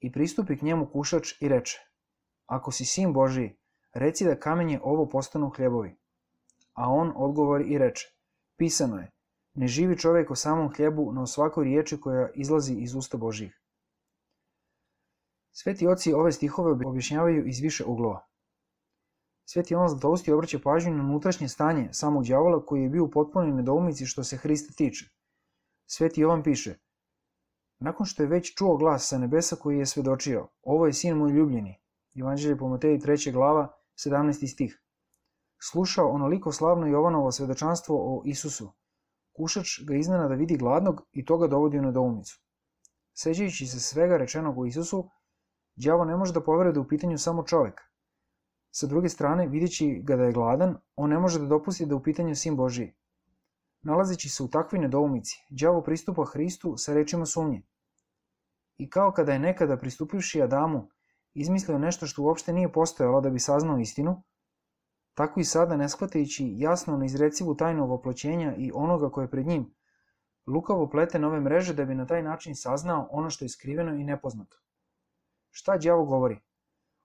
I pristupi k njemu kušač i reče: Ako si sin Božiji, reci da kamenje ovo postanu hljebovi. A on odgovori i reče: Pisano je, ne živi čovjek o samom hljebu, no o svakoj riječi koja izlazi iz usta Božjih. Sveti oci ove stihove objašnjavaju iz više uglova. Sveti Jovan Zlatousti obraća pažnju na unutrašnje stanje samog đavola koji je bio u potpunoj nedoumici što se Hrista tiče. Sveti Jovan piše: Nakon što je već čuo glas sa nebesa koji je svedočio: Ovo je sin moj ljubljeni. Evanđelje po Mateji 3. glava 17. stih. Slušao onoliko slavno Jovanovo svedočanstvo o Isusu. Kušač ga iznenada vidi gladnog i to ga dovodi u nedoumicu. Sećajući se svega rečenog o Isusu, đavo ne može da poveruje da u pitanju samo čovjek. Sa druge strane, videći ga da je gladan, on ne može da dopusti da u pitanju sin Božiji. Nalazeći se u takvoj nedoumici, đavo pristupa Hristu sa rečima sumnje. I kao kada je nekada pristupivši Adamu izmislio nešto što uopšte nije postojalo da bi saznao istinu, tako i sada, ne shvatajući jasno neizrecivu tajnu voploćenja i onoga koje je pred njim, lukavo plete nove mreže da bi na taj način saznao ono što je skriveno i nepoznato. Šta đavo govori?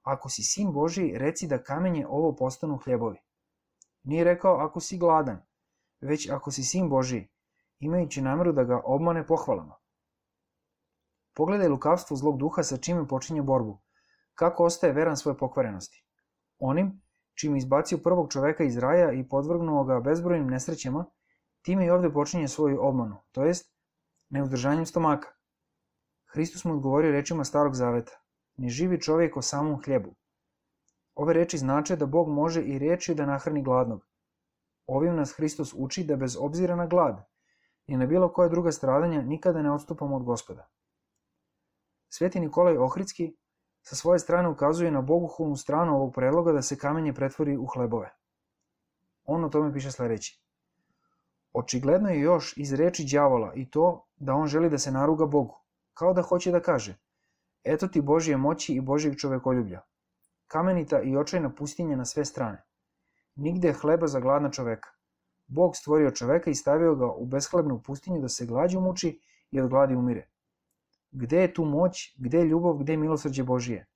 Ako si sin Božiji, reci da kamenje ovo postanu hljebovi. Nije rekao ako si gladan, već ako si sin Božiji, imajući nameru da ga obmane pohvalama. Pogledaj lukavstvo zlog duha sa čime počinje borbu, kako ostaje veran svoje pokvarenosti. Onim čim izbacio prvog čoveka iz raja i podvrgnuo ga bezbrojnim nesrećama, time i ovdje počinje svoju obmanu, to jest neuzdržanjem stomaka. Hristos mu odgovorio rečima Starog zaveta: Ne živi čovjek o samom hljebu. Ove reči znače da Bog može i riječju da nahrani gladnog. Ovim nas Hristos uči da bez obzira na glad i na bilo koja druga stradanja nikada ne odstupamo od Gospoda. Sveti Nikolaj Ohridski sa svoje strane ukazuje na bogohulnu stranu ovog predloga da se kamenje pretvori u hlebove. On o tome piše sljedeće: Očigledno je još iz reči đavola i to da on želi da se naruga Bogu, kao da hoće da kaže: Eto ti Božje moći i Božjeg čovekoljublja. Kamenita i očajna pustinja na sve strane. Nigde je hleba za gladna čoveka. Bog stvorio čoveka i stavio ga u beshlebnu pustinju da se glađu muči i od gladi umire. Gde je tu moć, gde je ljubav, gde je milosrđe Božije?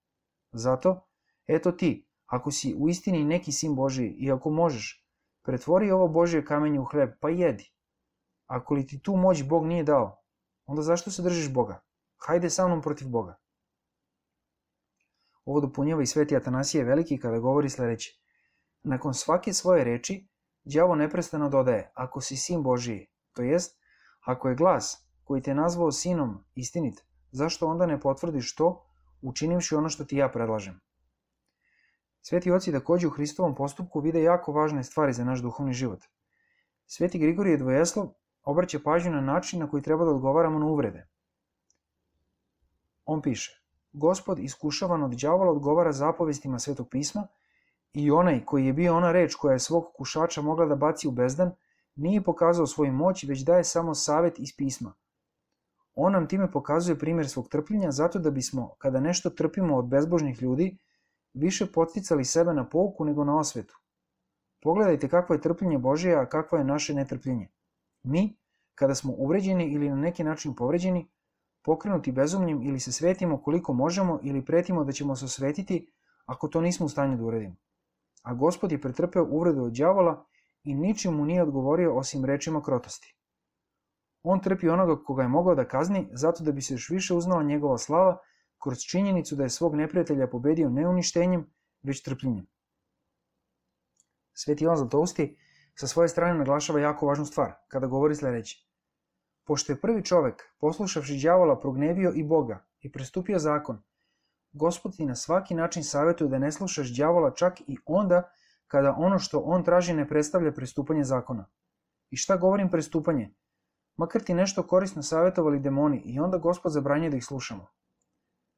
Zato, eto ti, ako si u istini neki sin Božiji i ako možeš, pretvori ovo Božje kamenje u hleb, pa jedi. Ako li ti tu moć Bog nije dao, onda zašto se držiš Boga? Hajde sa mnom protiv Boga. Ovo dopunjava i sveti Atanasije Veliki kada govori sljedeće: Nakon svake svoje reči, đavo neprestano dodaje: Ako si sin Božiji, to jest, ako je glas koji te nazvao sinom istinit, zašto onda ne potvrdiš to, učinivši ono što ti ja predlažem? Sveti oci također u Hristovom postupku vide jako važne stvari za naš duhovni život. Sveti Grigorije Dvojeslov obraća pažnju na način na koji treba da odgovaramo na uvrede. On piše: Gospod iskušavan od đavola odgovara zapovestima Svetog pisma i onaj koji je bio ona reč koja je svog kušača mogla da baci u bezdan, nije pokazao svoju moć, već daje samo savet iz pisma. On nam time pokazuje primjer svog trpljenja zato da bismo, kada nešto trpimo od bezbožnih ljudi, više podsticali sebe na pouku nego na osvetu. Pogledajte kakvo je trpljenje Božije, a kakvo je naše netrpljenje. Mi, kada smo uvređeni ili na neki način povređeni, pokrenuti bezumljem ili se svetimo koliko možemo ili pretimo da ćemo se osvetiti ako to nismo u stanju da uradimo. A Gospod je pretrpeo uvredu od đavola i ničim mu nije odgovorio osim rečima krotosti. On trpi onoga koga je mogao da kazni zato da bi se još više uznala njegova slava kroz činjenicu da je svog neprijatelja pobedio ne uništenjem, već trpljenjem. Sveti Jovan Zlatousti sa svoje strane naglašava jako važnu stvar kada govori sljedeće: Pošto je prvi čovek, poslušavši đavola, prognevio i Boga i prestupio zakon, Gospod ti na svaki način savjetuje da ne slušaš đavola čak i onda kada ono što on traži ne predstavlja prestupanje zakona. I šta govorim prestupanje? Makar ti nešto korisno savjetovali demoni i onda Gospod zabranjuje da ih slušamo.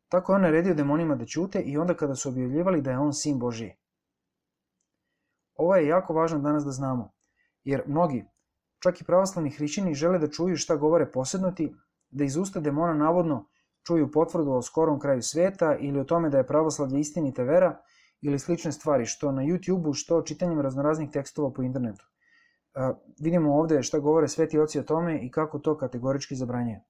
Tako je on naredio demonima da ćute i onda kada su objavljivali da je on sin Božiji. Ovo je jako važno danas da znamo, jer mnogi, čak i pravoslavni hrišćani, žele da čuju šta govore posednuti, da iz usta demona navodno čuju potvrdu o skorom kraju sveta ili o tome da je pravoslavlje istinita vera ili slične stvari, što na YouTube-u, što čitanjem raznoraznih tekstova po internetu. Vidimo ovdje šta govore sveti oci o tome i kako to kategorički zabranjuje.